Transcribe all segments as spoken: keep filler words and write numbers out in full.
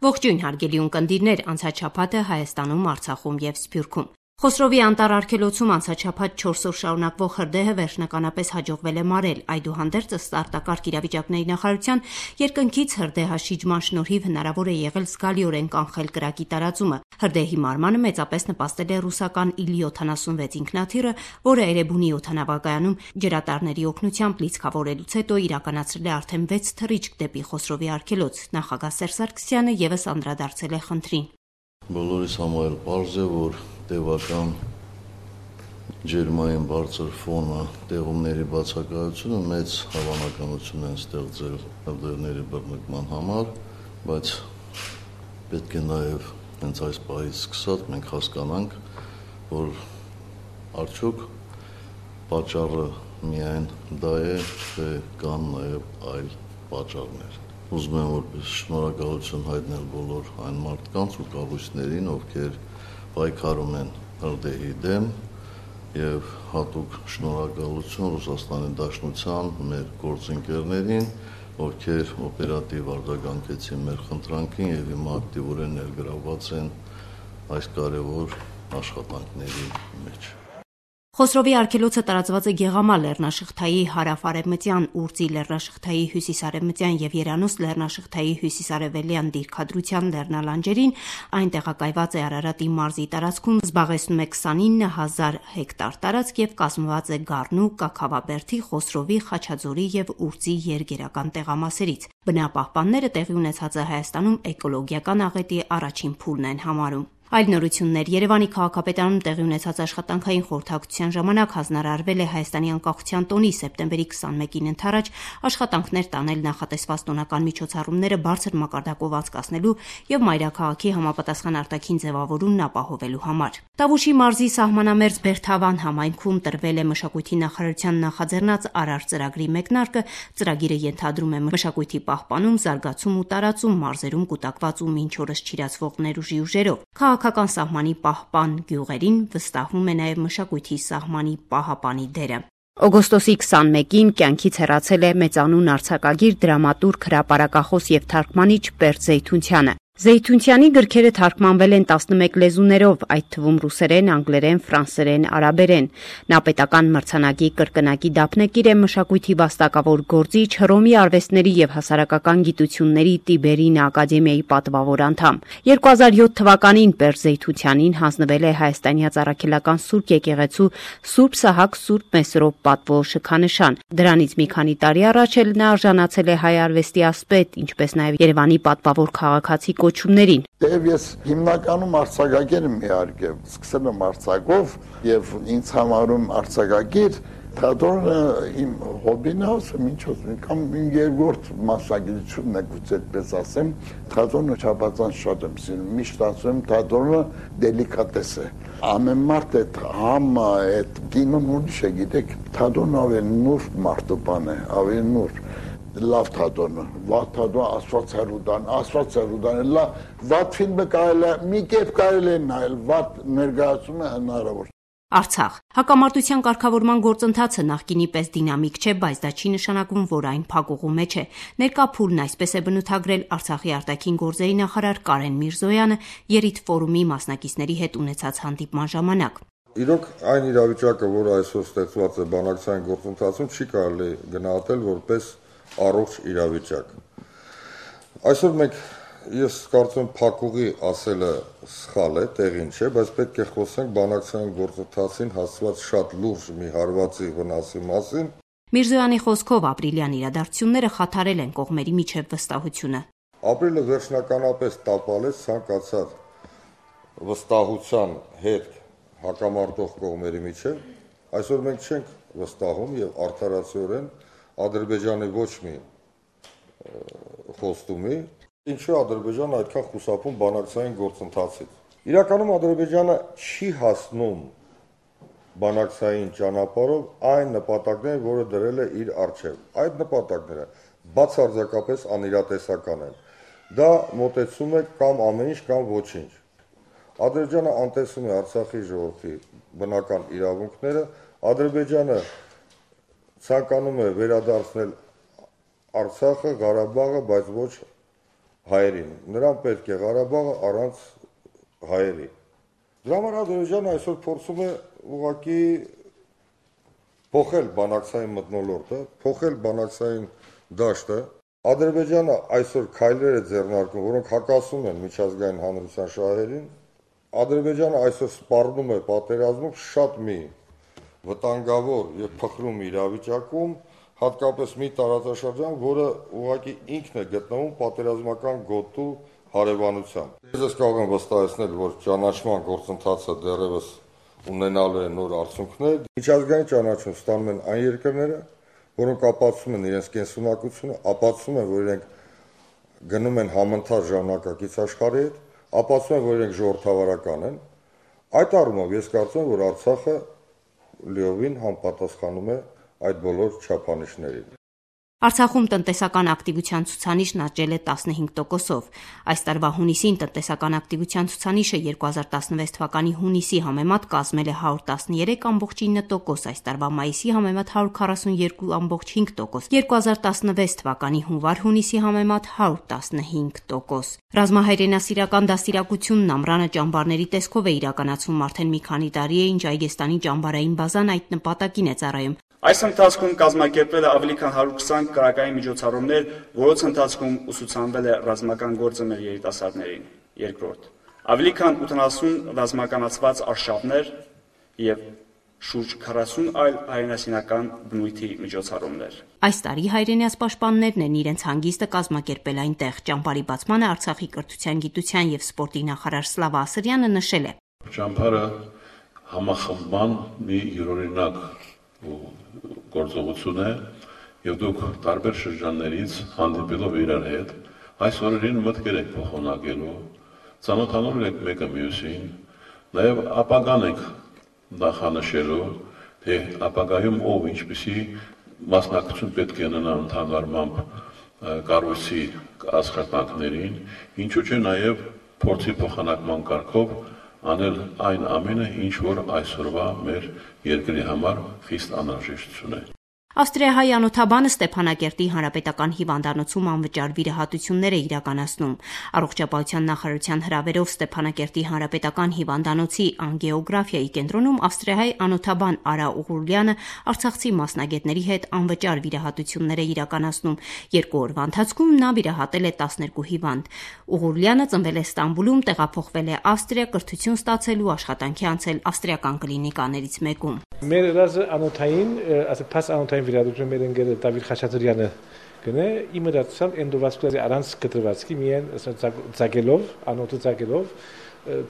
Ողջույն հարգելի ունկնդիրներ, անցած շաբաթը Հայաստանում, Արցախում եւ Սփյուռքում։ Խոսրովի անտառ արգելոցում անցած շաբաթ չորս օր շարունակվող հրդեհը վերջնականապես հաջողվել է մարել, այդուհանդերձ ըստ արտակարգ իրավիճակների նախարարության երկնքից հրդեհաշիջման շնորհիվ հնարավոր է եղել զգալիորեն կանխել կրակի տարածումը։ Հրդեհի մարմանը մեծապես նպաստել է ռուսական Իլ յոթանասունվեց ինքնաթիռը, որը Էրեբունի օդանավակայանում ջրատարների օգնությամբ լիցքավորելուց հետո իրականացրել է արդեն վեց թռիչք դեպի Խոսրովի արգելոց։ Նախագահ Սերժ Սարգսյանը եւս անդրադարձել է խնդրին։ Բոլորիս համար պարզ է, որ տևական ջերմային բարձր ֆոնը տեղումների բացակայությունը մեծ հավանականություն են ստեղծել հրդեհների բռնկման համար, բայց պետք է նաև հենց այս պահից սկսած մենք հասկանանք, որ արդյոք պատճառը միայն դա է, թե կան նաև այլ պատճառներ։ Ուզում եմ որպես շնորհակալություն հայտնել բոլոր այն մարդկանց ու կառույցներին, ովքեր պայքարում են հրդեհի դեմ, եւ հատուկ շնորհակալություն Ռուսաստանի Դաշնության մեր գործընկերներին, ովքեր օպերատիվ արձագանքեցին մեր խնդրանքին եւ հիմա ակտիվորեն ներգրավված են այս կարևոր աշխատանքների մեջ։ Խոսրովի արգելոցը տարածված է Գեղամա լեռնաշղթայի հարավ-արևմտյան, Ուրծի լեռնաշղթայի հյուսիս-արևմտյան եւ Երանուս լեռնաշղթայի հյուսիս-արևելյան դիրքադրության լեռնալանջերին, այն տեղակայված է Արարատի մարզի տարածքում, զբաղեցնում է քսանինը հազար հեկտար տարածք եւ կազմված է Գառնու, Կաքավաբերդի, Խոսրովի, Խաչաձորի եւ Ուրծի երգերական տեղամասերից։ Բնապահպանները տեղի ունեցածը Հայաստանում էկոլոգիական աղետի առաջին փուլն են համարում։ Այլ նորություններ Երևանի քաղաքապետարանում տեղի ունեցած աշխատանքային խորհրդակցության ժամանակ հանձնարարվել է Հայաստանի անկախության տոնի սեպտեմբերի քսանմեկին ընթരാճ աշխատանքներ տանել նախատեսված տոնական միջոցառումները բարձր մակարդակով անցկացնելու եւ մայրաքաղաքի համապատասխան արտաքին ձևավորումն ապահովելու համար։ Տավուշի մարզի սահմանամերձ Բերթավան համայնքում տրվել է մշակույթի նախարարության նախաձեռնած Արար ծրագրի մեկնարկը։ Ծրագիրը ենթադրում է մշակույթի պահպանում, զարգացում ու տարածում մարզերում կուտակված ու մինչ օրս չիրացվող ներուժի ուժերով։ Քաղաքական սահմանի պահպան գյուղերին վստահվում է նաև մշակույթի սահմանի պահապանի դերը։ Օգոստոսի քսանմեկին կյանքից հեռացել է մեծանուն արձակագիր, դրամատուրգ, հրապարակախոս եւ թարգմանիչ Պերճ Զեյթունցյանը։ Զեյթունցյանի գրքերը թարգմանվել են տասնմեկ լեզուներով, այդ թվում ռուսերեն, անգլերեն, ֆրանսերեն, արաբերեն։ Նա պետական մրցանակի կրկնակի դափնեկիր է, մշակույթի վաստակավոր գործիչ, Հռոմի արվեստների եւ հասարակական գիտությունների Տիբերին ակադեմիայի պատվավոր անդամ։ երկու հազար յոթ թվականին Պերճ Զեյթունցյանին հանձնվել է Հայաստանյաց Առաքելական Սուրբ եկեղեցու Սուրբ Սահակ Սուրբ Մեսրոպ պատվո շքանշան։ Դրանից մի քանի տարի առաջ էլ նա արժանացել է հայ արվեստի ասպետ, ինչպես նաեւ Երևանի պատվավոր քաղաքացի կոչումներին։ Եվ ես հիմնականում արձակագիր եմ իհարկե, սկսել եմ արձակով եւ ինձ համարում արձակագիր թատրոնը իմ հոբին է, ասեմ ինչ ասեմ, կամ իմ երկրորդ մասնագիտությունն է, գուցե այդպես ասեմ, թատրոնը չափազանց շատ եմ սիրում, միշտ ասում եմ թատրոնը դելիկատես է։ Ամեն մարդ այդ համը, այդ կինոն ուրիշ է, գիտեք, թատրոնը ավելի նուրբ մարդու բան է, ավելի նուրբ։ Լավ թատրոնը, վատ թատրոնը, Աստված հեռուտան, Աստված հեռուտան, վատ ֆիլմը կարելի է, մի կերպ կարելի է նայել, վատ ներկայացումը հնարավոր։ Արցախ հակամարտության կարգավորման գործընթացը նախկինի պես դինամիկ չէ, բայց դա չի նշանակում, որ այն փակուղու մեջ է։ Ներկա փուլն այսպես է բնութագրել Արցախի արտաքին գործերի նախարար Կարեն Միրզոյանը ԵՐԻՏ ֆորումի մասնակիցների հետ ունեցած հանդիպման ժամանակ։ Իրոք այն իրավիճակը, որ այսօր ստեղծված է բանակցային գործընթացում, չի կարելի գնահատել որպես առողջ իրավիճակ։ Այսօր մենք ես կարծում եմ փակուղի ասելը սխալ է, տեղին չէ, բայց պետք է խոսենք բանակցային գործընթացին հասցված շատ լուրջ մի հարվածի վնասի մասին։ Միրզոյանի խոսքով ապրիլյան իրադարձությունները խաթարել են կողմերի միջև վստահությունը։ Ապրիլը վերջնականապես տապալեց ցանկացած վստահության հետ հակամարտող կողմերի միջև։ Այսօր մենք չենք վստահում եւ արդարացիորեն Ադրբեջանի ոչ մի խոստումի, ինչու Ադրբեջանը այդքան խուսափում բանակցային գործընթացից։ Իրականում Ադրբեջանը չի հասնում բանակցային ճանապարհով այն նպատակներին, որը դրել է իր առջև։ Այդ նպատակները բացարձակապես անիրատեսական են։ Դա մոտեցում է կամ ամեն ինչ, կամ ոչինչ։ Ադրբեջանը անտեսում է Արցախի ժողովրդի բնական իրավունքները, Ադրբեջանը ցանկանում է վերադարձնել Արցախը, Ղարաբաղը, բայց ոչ հայերին, նրան պետք է Ղարաբաղը առանց հայերի։ Դրա համար Ադրբեջանը այսօր փորձում է ուղղակի փոխել բանակցային մթնոլորտը, փոխել բանակցային դաշտը։ Ադրբեջանը այսօր քայլեր է ձեռնարկում, որոնք հակասում են միջազգային հանրության շահերին։ Ադրբեջանը այսօր սպառնում է պատերազմում շատ մի վտանգավոր եւ փխրում իրավիճակում, հատկապես մի տարածաշրջան, որը ուղղակի ինքն է գտնվում պատերազմական գոտու հարևանությամբ։ Ես կարող եմ վստահեցնել, որ ճանաչման գործընթացը դեռևս ունենալու է նոր արդյունքներ։ Միջազգային ճանաչում ստանում են այն երկրները, որոնք ապացուցում են իրենց կենսունակությունը, ապացուցում են, որ իրենք գնում են համընթաց ժամանակակից աշխարհի հետ, ապացուցում են, որ իրենք ժողովրդավարական են։ Այդ առումով ես կարծում եմ, որ Արցախը լիովին համապատասխանում է այդ բոլոր չափանիշներին։ Արցախում տնտեսական ակտիվության ցուցանիշն աճել է տասնհինգ տոկոսով։ Այս տարվա հունիսին տնտեսական ակտիվության ցուցանիշը երկու հազար տասնվեց թվականի հունիսի համեմատ կազմել է հարյուր տասներեք կόμ ինը տոկոս, այս տարվա մայիսի համեմատ հարյուր քառասունյոթ կόμ հինգ տոկոս, երկու հազար տասնվեց թվականի հունվար-հունիսի համեմատ հարյուր տասնհինգ տոկոս։ Ռազմահայրենասիրական դաստիարակությունն ամռանը ճամբարների տեսքով է իրականացվում արդեն մի քանի տարի է, ինչ Այգեստանի ճամբարային բազան այդ նպատակին է ծառայում։ Այս ընթացքում կազմակերպվել է ավելի քան հարյուր քսան կրակային միջոցառումներ, որոնց ընթացքում ուսուցանվել է ռազմական գործը մեր երիտասարդներին։ Երկրորդ, ավելի քան ութանասուն ռազմականացված արշավներ եւ շուրջ քառասուն այլ հայրենասիրական բնույթի միջոցառումներ։ Այս տարի հայրենիաց պաշտպաններն են իրենց հանգիստը կազմակերպել այնտեղ։ Ճամբարի բացմանը Արցախի կրթության, գիտության եւ սպորտի նախարար Սլավա Ասրյանը նշել է. Ճամբարը համախմբման մի յուրօրինակ գործողություն է եւ դուք տարբեր շրջաններից հանդիպելով իրար հետ այս օրերին մտքեր եք փոխանակելու, ծանոթանալու եք մեկը մյուսին, նաեւ ապագան եք նախանշելու, թե ապագայում ով ինչպիսի մասնակցություն պետք է ունենա ընդհանրամամբ կառույցի աշխատանքներին, ինչու՞ չէ նաեւ փորձի փոխանակման կարգով անել այն ամենը, ինչ որ այսօրվա մեր երկրի համար խիստ անհրաժեշտություն է։ Ավստրիահայ անոթաբանը Ստեփանակերտի հանրապետական հիվանդանոցում անվճար վիրահատություններ է իրականացնում։ Առողջապահության նախարարության հրավերով Ստեփանակերտի հանրապետական հիվանդանոցի անգեոգրաֆիայի կենտրոնում ավստրիահայ անոթաբան Արա Ուղուլյանը արցախցի մասնագետների հետ անվճար վիրահատություններ է իրականացնում։ Երկու օրվա ընթացքում նա վիրահատել է տասներկու հիվանդ։ Ուղուլյանը ծնվել է Ստամբուլում, տեղափոխվել է Ավստրիա, կրթություն ստացելու, աշխատանքի անցել ավստրիական կլինիկաներից մեկում։ Մեր ռազը անոթային, ասե փաս անոթային վիրահատություն մեր ընկերը Դավիթ Խաչատրյանը գնե իմը դարձավ էնդովասկուլարի առանց կտրվածքի միայն ծագելով, անոթը ծագելով,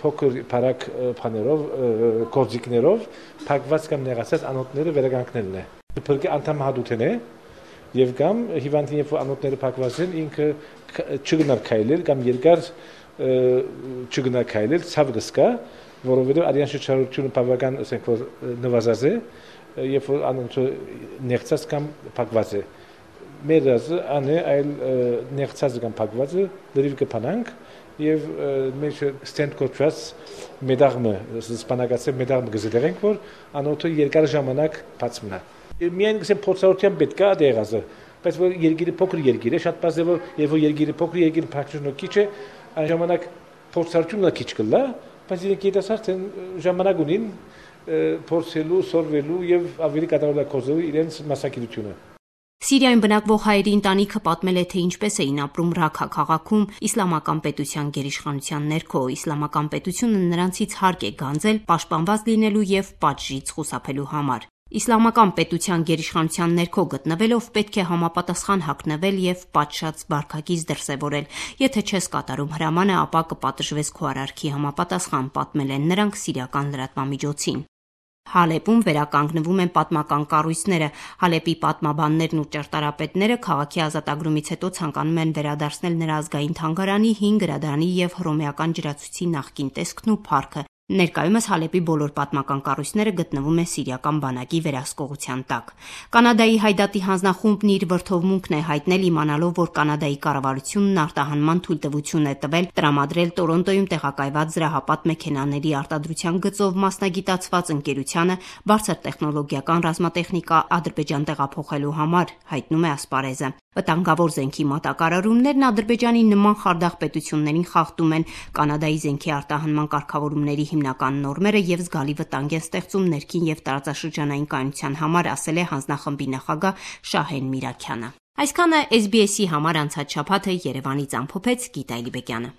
փոքր բարակ փաներով, կորձիկներով, փակված կամ նեղացած անոթները վերականգնելն է։ Փրկի անդամահատութեն է եւ կամ հիվանդին երբ անոթները փակված են ինքը չգնար քայլել կամ երկար չգնար քայլել, ցավ գսկա, որովհետեւ արյան շրջարությունը բավական ասենք որ նվազած է, երբ որ անոնց նեղցած կամ փակված է։ Մեր ռազը անը այլ նեղցած կամ փակվածը դրիվ կփանանք եւ մեր ստենտ կոչված մեդաղմը, սպանագացե մեդաղմը գզդերենք որ անոթը երկար ժամանակ բաց մնա։ Միայն գսեմ փորձառության պետք է դեղազը, բայց որ երգիրը փոքր երգիր է, շատ բարձր որ երբ որ երգիրը փոքր երգիրը փակչունը քիչ է, այն ժամանակ փորձառությունը քիչ կլա, բայց երիտասարդ են ժամանակ ունին փորձելու, սորվելու եւ ավելի կատարելագործելու իրենց մասնագիտությունը։ Սիրիայում բնակվող հայերի ընտանիքը պատմել է, թե ինչպես էին ապրում Ռաքա քաղաքում իսլամական պետության գերիշխանության ներքո։ Իսլամական պետությունը նրանցից հարկ է գանձել պաշտպանված լինելու եւ պատժից խուսափելու համար։ Իսլամական պետության գերիշխանության ներքո գտնվելով պետք է համապատասխան հագնվել եւ պատշաճ բարգակից դրսեւորել։ Եթե չես կատարում հրամանը, ապա կպատժվես քո արարքի համապատասխան, պատմել են նրանք սիրիական լրատվամիջոցին։ Հալեպում վերականգնվում են պատմական կառույցները։ Հալեպի պատմաբաններն ու ճարտարապետները քաղաքի ազատագրումից հետո ցանկանում են վերադարձնել նրա ազգային թանգարանի, հին գրադարանի եւ հռոմեական ջրացույցի նախկին տեսքն ու փառքը։ Ներկայումս Հալեպի բոլոր պատմական կառույցները գտնվում են սիրիական բանակի վերահսկողության տակ։ Կանադայի հայդատի հանձնախումբն իր վրթովմունքն է հայտնել իմանալով, որ Կանադայի կառավարությունն արտահանման թույլտվություն է տվել տրամադրել Տորոնտոյում տեղակայված զրահապատ մեքենաների արտադրության գծով մասնագիտացված ընկերությանը բարձր տեխնոլոգիական ռազմատեխնիկա Ադրբեջան տեղափոխելու համար, հայտնում է Ասպարեզը։ Վտանգավոր զենքի մատակարարումներն Ադրբեջանի նման խարդախ պետություններին խախտում են Կանադայի զենքի արտահանման կարգավորումների հիմնական նորմերը եւ զգալի վտանգ են ստեղծում ներքին եւ տարածաշրջանային կայունության համար, ասել է հանձնախմբի նախագահ Շահեն Միրաքյանը։ Այսքանը S B S-ի համար անցած շաբաթը Երևանից ամփոփեց Գիտա Էլիբեկյանը։